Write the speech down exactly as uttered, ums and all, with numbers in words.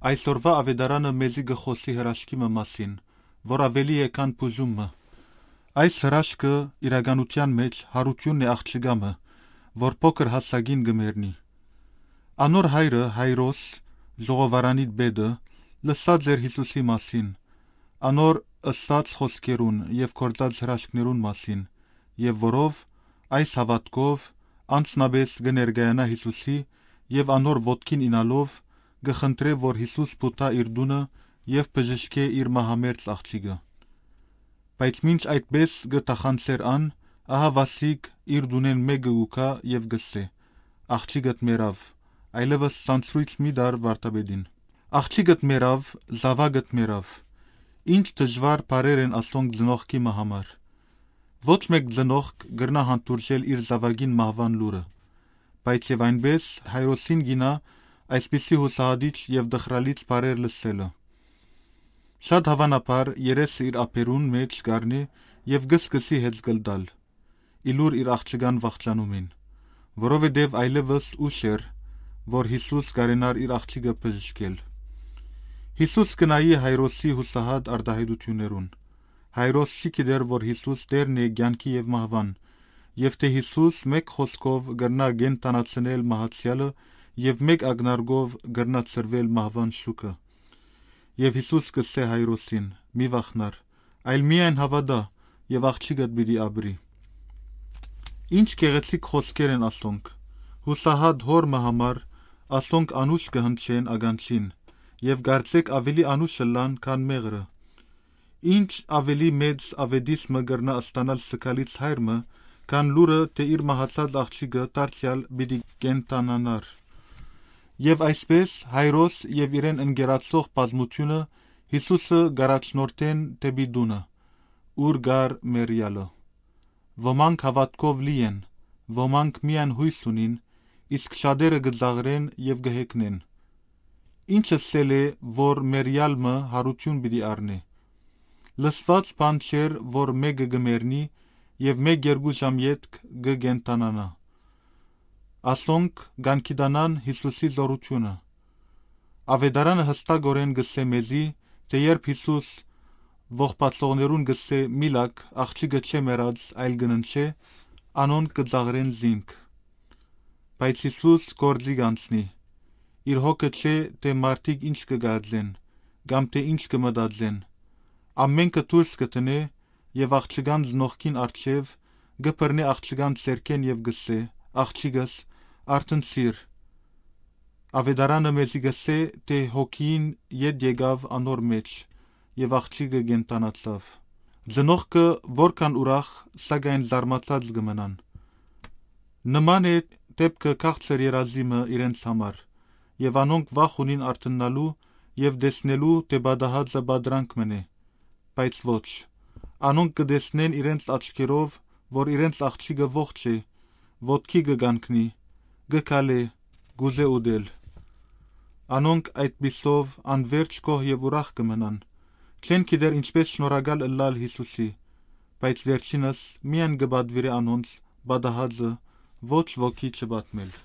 Այսօրվա ավետարանը մեզի գխոսի հրաշքի մասին, որ ավելի է քան բուժումը։ Այս հրաշքը իրականության մեջ հարությունն է աղջիկամը, որ փոքր հասակին գմերնի։ Անոր հայրը Հայրոս, ժողովարանի բեդը, լսած էր Հիսուսի մասին, անոր ըսած խոսքերուն եւ կորտած հրաշքներուն մասին, եւ որով այս հավատքով անցնաբես կներկայանա Հիսուսի եւ անոր ոտքին ինալով գխնդրե, որ Հիսուս փութա իր դունը եւ բժշկե իր մահամերձ աղջիկը։ Բայց մինչ այդպես գտախանցեր ան, ահա Վասիկ իր դունեն մեկը ուքա եւ գսե. աղջիկդ մերավ, այլևս ցանցրույց մի դար վարտաբեդին։ Աղջիկդ մերավ, զավակդ մերավ։ Ինչ դժվար բարեր են ասոնք ծնողքի համար։ Ոչ մեկ ծնողք գրնա հանդուրժել իր զավակին մահվան լուրը, բայց եւ այնպես Հայրոսին գինա այսպիսի հուսահատիչ եւ դխրալից բարեր լսելը։ Շատ հավանաբար երեսը իր ափերուն մեջ կառնի եւ գսկսի հետ գլդալ, իլուր իր աղջկան վախճանումին, որովհետեւ այլևս ուշ էր, որ Հիսուս կարենար իր աղջիկը բժշկել։ Հիսուս կնայի Հայրոսի հուսահատ արտահայտություններուն։ Հայրոս չի գիտեր, որ Հիսուս Տերն է կյանքի եւ մահվան, եւ թե Հիսուս մեկ խոսքով գրնա գենտանացնել մահացյալը եւ մեկ ագնարգով գրնա ծրվել մահվան շուկը։ Եվ Հիսուս կսե Հայրոսին. մի վախնար, այլ միայն հավատա եւ աղջիկդ պիտի ապրի։ Ինչ գեղեցիկ խոսքեր են ասոնք։ Հուսահատ հոր համար ասոնք անուշ կհնչեն ագանչին եւ գարցեք ավելի անուշ լան քան մեղրը։ Ինչ ավելի մեծ ավետիսմը գրնա ստանալ սկալից հայրը, քան լուրը, թե իր մահացած աղջիկը դարձյալ պիտի կենտանանար։ Եվ այսպես Հայրոս եւ իրեն ընկերացող բազմությունը Հիսուսը գարաչնորթեն դեպի դունը, ուր գար մերյալը։ Ոմանք հավատքով լի են, ոմանք միայն հույս ունին, իսկ շատերը գծաղրեն եւ գհեքնեն։ Ինչը սել է, որ մերյալը հարություն պիտի առնի։ Լսված բան չէր, որ մեկը գմերնի եւ մեկ երկու ժամ յետք գգենտանանա։ Ասոնք գանքիդանան Հիսուսի զորությունը։ Ավետարանը հստակորեն գսե մեզի, թե երբ Հիսուս ողբացողներուն գսե միլակ աղջիկը չէ մեռած, այլ գննչե, անոն կծաղրեն զինք։ Բայց Հիսուս գործի կանցնի։ Իր հոգը չէ, թե մարդիկ ինչ կգածեն, կամ թե ինչ կմտածեն։ Ամենքը դուրս կտնե եւ աղջկան ծնողքին առջև գբռնի աղջկան ցերքեն եւ գսե. աղջիկս արթնցիր։ Ավետարանը մեզի գսե, թե հոգին ետ եկավ անոր մեջ եւ աղջիկը գենտանացավ։ Ծնողքը որքան ուրախ, սակայն զարմացած կմնան։ Նման է դեպքը քաղցր երազիմը իրենց համար, եւ անոնք վախ ունին արթնալու եւ տեսնելու, թե բադահածը բադրանք մնե, բայց ոչ։ Անոնք կտեսնեն իրենց աչքերով, որ իրենց աղջիկը ողջ է, ոտքի կգանքնի, գկալե, գուզե ուդել։ Անոնք այդպիսով անverջ գոհ եւ ուրախ կմնան։ Չեն գիտեր ինչպես շնորհակալ ըլլալ Հիսուսի, բայց վերջինս միայն կբադվիրի անոնց բադահածը ոչ ոքի չբատմել։